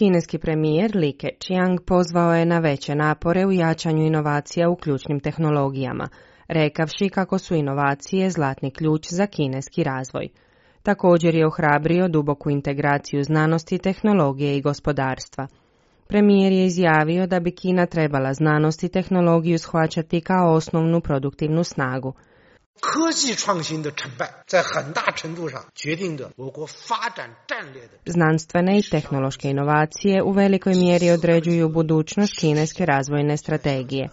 Kineski premijer Li Keqiang pozvao je na veće napore u jačanju inovacija u ključnim tehnologijama, rekavši kako su inovacije zlatni ključ za kineski razvoj. Također je ohrabrio duboku integraciju znanosti, tehnologije i gospodarstva. Premijer je izjavio da bi Kina trebala znanost i tehnologiju shvaćati kao osnovnu produktivnu snagu. Znanstvene i tehnološke inovacije u velikoj mjeri određuju budućnost kineske razvojne strategije.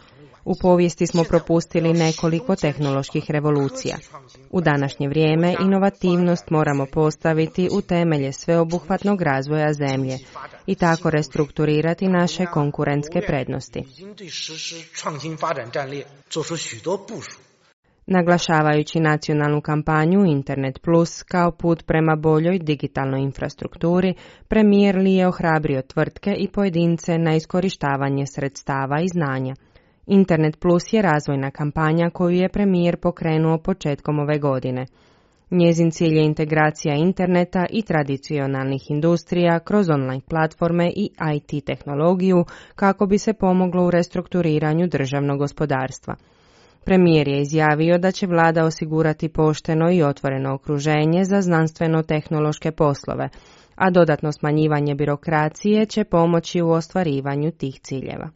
U povijesti smo propustili nekoliko tehnoloških revolucija. U današnje vrijeme inovativnost moramo postaviti u temelje sveobuhvatnog razvoja zemlje i tako restrukturirati naše konkurentske prednosti. Naglašavajući nacionalnu kampanju Internet Plus kao put prema boljoj digitalnoj infrastrukturi, premijer Li je ohrabrio tvrtke i pojedince na iskorištavanje sredstava i znanja. Internet Plus je razvojna kampanja koju je premijer pokrenuo početkom ove godine. Njezin cilj je integracija interneta i tradicionalnih industrija kroz online platforme i IT tehnologiju kako bi se pomoglo u restrukturiranju državnog gospodarstva. Premijer je izjavio da će vlada osigurati pošteno i otvoreno okruženje za znanstveno-tehnološke poslove, a dodatno smanjivanje birokracije će pomoći u ostvarivanju tih ciljeva.